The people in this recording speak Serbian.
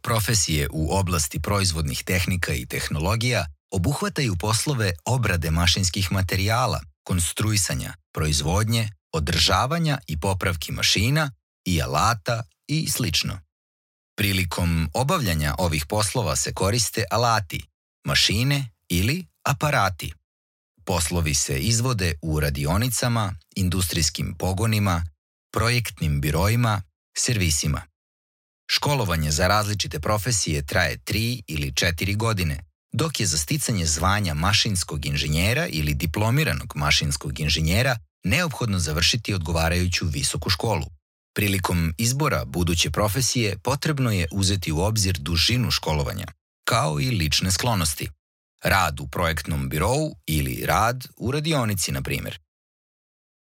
Profesije u oblasti proizvodnih tehnika i tehnologija obuhvataju poslove obrade mašinskih materijala, konstruisanja, proizvodnje, održavanja i popravki mašina i alata i sl. Prilikom obavljanja ovih poslova se koriste alati, mašine ili aparati. Poslovi se izvode u radionicama, industrijskim pogonima, projektnim biroima, servisima. Školovanje za različite profesije traje 3 ili 4 godine, dok je za sticanje zvanja mašinskog inženjera ili diplomiranog mašinskog inženjera neophodno završiti odgovarajuću visoku školu. Prilikom izbora buduće profesije potrebno je uzeti u obzir dužinu školovanja, kao i lične sklonosti. Rad u projektnom birou ili rad u radionici, na primjer.